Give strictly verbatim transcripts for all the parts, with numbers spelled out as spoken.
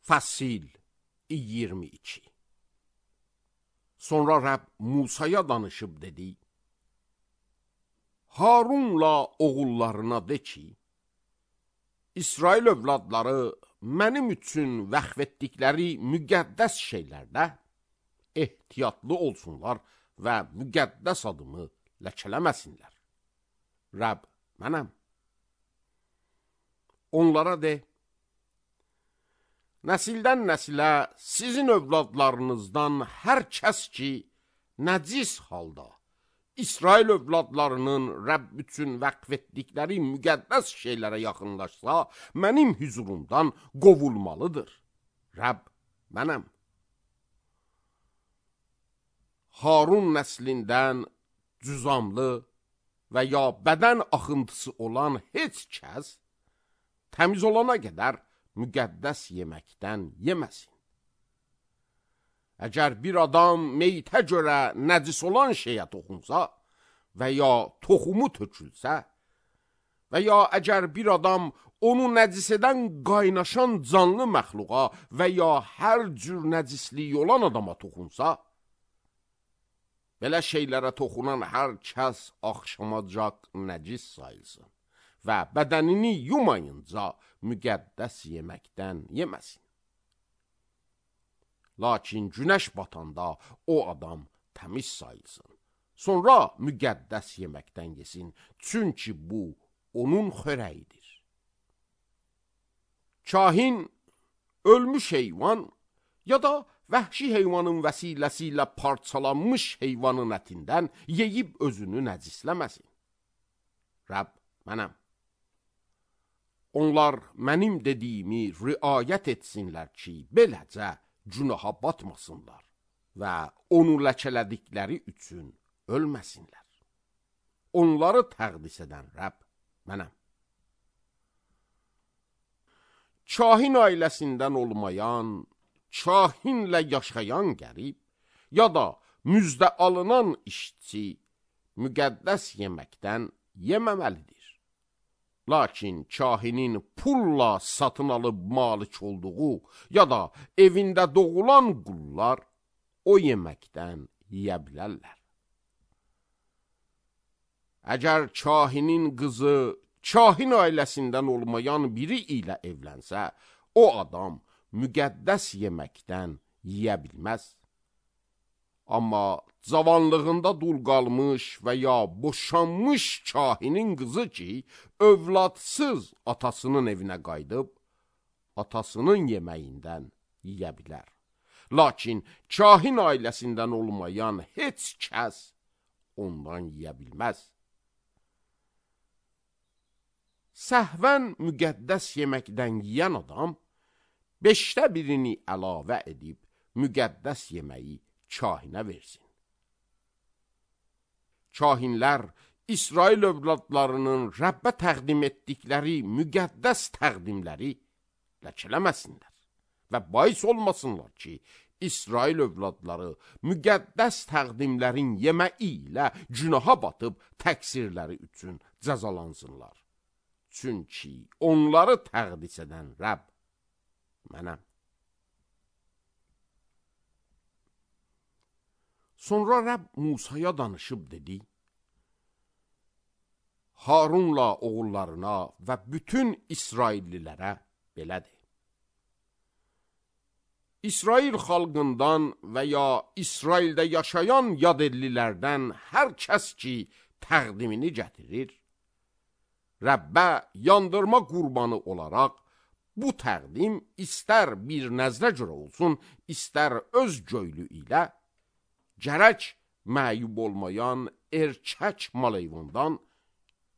Fəsil iyirmi iki. Sonra Rəbb Musaya danışıb dedi: Harunla oğullarına de ki, İsrail övladları mənim üçün vəqf etdikləri müqəddəs şeylərdə ehtiyatlı olsunlar və müqəddəs adımı ləkələməsinlər. Rəbb mənəm. Onlara de, nəsildən nəsilə sizin övladlarınızdan hər kəs ki, nəcis halda İsrail övladlarının Rəbb üçün vəqf etdikləri müqəddəs şeylərə yaxınlaşsa, mənim hüzurumdan qovulmalıdır. Rəbb mənəm. Harun nəslindən cüzamlı və ya bədən axıntısı olan heç kəs, təmiz olana qədər müqəddəs yeməkdən yeməsin. Əgər bir adam meyitə görə nəcis olan şeyə toxunsa və ya toxumu tökülsə və ya əgər bir adam onu nəcis edən qaynaşan canlı məxluqa və ya hər cür nəcisliyi olan adama toxunsa, belə şeylərə toxunan hər kəs axşamacaq nəcis sayılsın və bədənini yumayınca müqəddəs yeməkdən yeməsin. Lakin günəş batanda o adam təmiz sayılsın. Sonra müqəddəs yeməkdən yesin, çünki bu onun xörəyidir. Kahin ölmüş heyvan ya da vəhşi heyvanın vəsiləsi ilə parçalanmış heyvanın ətindən yeyib özünü nəcisləməsin. Rəbb mənəm. Onlar mənim dediyimi riayət etsinlər ki, beləcə günaha batmasınlar və onu ləkələdikləri üçün ölməsinlər. Onları təqdis edən Rəbb mənəm. Kahin ailəsindən olmayan, kahinlə yaşayan qərib ya da müjdə alınan işçi müqəddəs yeməkdən yeməməlidir. Lakin kahinin pulla satın alıb malik olduğu ya da evində doğulan qullar o yeməkdən yeyə bilərlər. Əgər kahinin qızı kahin ailəsindən olmayan biri ilə evlənsə, o adam müqəddəs yeməkdən yeyə bilməz. Amma cavanlığında dul qalmış və ya boşanmış kahinin qızı ki, övladsız atasının evinə qayıdıb, atasının yeməyindən yeyə bilər. Lakin kahin ailəsindən olmayan heç kəs ondan yeyə bilməz. Səhvən müqəddəs yeməkdən yeyən adam, beşdə birini əlavə edib müqəddəs yeməyi kahinə versin. Kahinlər İsrail övladlarının Rəbbə təqdim etdikləri müqəddəs təqdimləri ləkələməsinlər və bais olmasınlar ki, İsrail övladları müqəddəs təqdimlərin yeməyi ilə günaha batıb təqsirləri üçün cəzalansınlar. Çünki onları təqdis edən Rəbb mənəm. Sonra Rəbb Musaya danışıb dedi: Harunla oğullarına və bütün İsraillilərə belədir. İsrail xalqından və ya İsraildə yaşayan yadillilərdən hər kəs ki təqdimini gətirir, Rəbbə yandırma qurbanı olaraq bu təqdim istər bir nəzrə görə olsun, istər öz göylü ilə, gərək məyub olmayan erkək maleyvandan,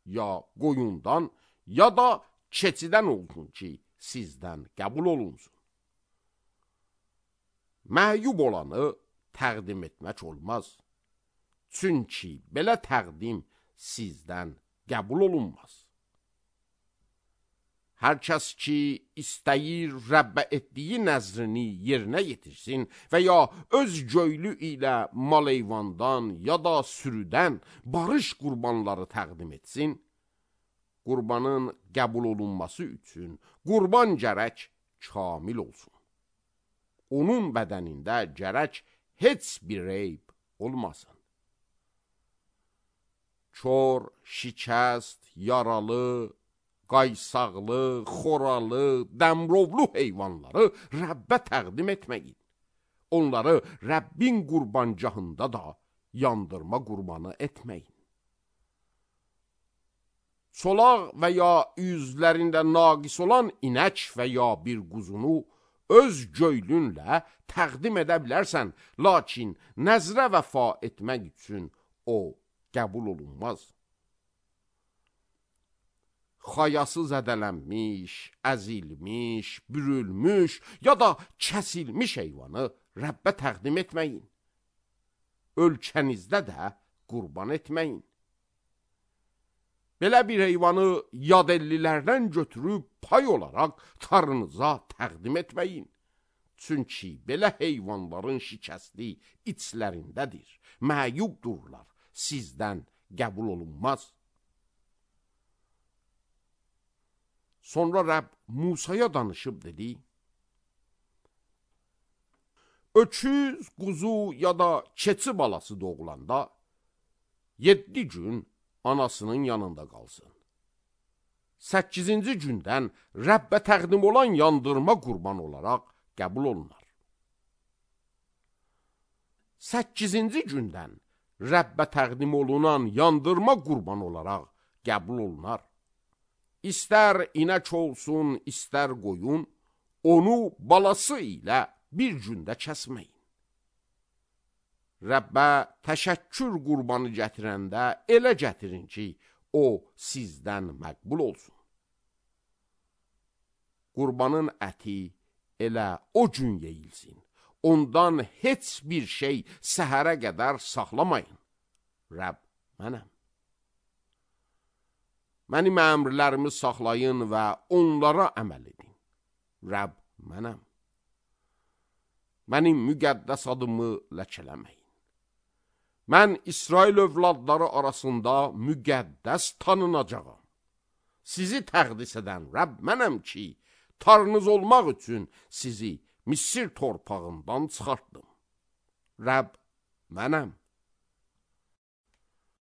ya qoyundan, ya da keçidən olsun ki, sizdən qəbul olunsun. Məyub olanı təqdim etmək olmaz. Çünki belə təqdim sizdən qəbul olunmaz. Hər kəs ki, istəyir Rəbbə etdiyi nəzrini yerinə yetirsin və ya öz göylü ilə maleyvandan ya da sürüdən barış qurbanları təqdim etsin, qurbanın qəbul olunması üçün qurban gərək kamil olsun. onun bədənində gərək heç bir eyb olmasın. Kör, şikəst, yaralı, qaysaqlı, xoralı, dəmrovlu heyvanları Rəbbə təqdim etməyin. Onları Rəbbin qurbancahında da yandırma qurbanı etməyin. Solaq və ya üzlərində naqis olan inək və ya bir quzunu öz göylünlə təqdim edə bilərsən, lakin nəzrə vəfa etmək üçün o qəbul olunmaz. Xayası zədələnmiş, əzilmiş, bürülmüş ya da kəsilmiş heyvanı Rəbbə təqdim etməyin. Ölkənizdə də qurban etməyin. Belə bir heyvanı yad ellilərdən götürüb pay olaraq tarınıza təqdim etməyin. Çünki belə heyvanların şikəsti içlərindədir, məyubdurlar, sizdən qəbul olunmaz. Sonra Rəbb Musaya danışıb dedi, öküz, quzu ya da keçi balası doğulanda yeddi gün anasının yanında qalsın. Səkkizinci gündən Rəbbə təqdim olan yandırma qurban olaraq qəbul olunar. Səkkizinci gündən Rəbbə təqdim olunan yandırma qurban olaraq qəbul olunar. İstər inək olsun, istər qoyun, onu balası ilə bir gündə kəsməyin. Rəbbə təşəkkür qurbanı gətirəndə elə gətirin ki, o sizdən məqbul olsun. Qurbanın əti elə o gün yeyilsin. Ondan heç bir şey səhərə qədər saxlamayın. Rəbb mənəm. Mənim əmrlərimi saxlayın və onlara əməl edin. Rəbb mənəm. Mənim müqəddəs adımı ləkələməyin. Mən İsrail övladları arasında müqəddəs tanınacağam. Sizi təqdis edən Rəbb mənəm ki, tarınız olmaq üçün sizi Misir torpağından çıxartdım. Rəbb mənəm.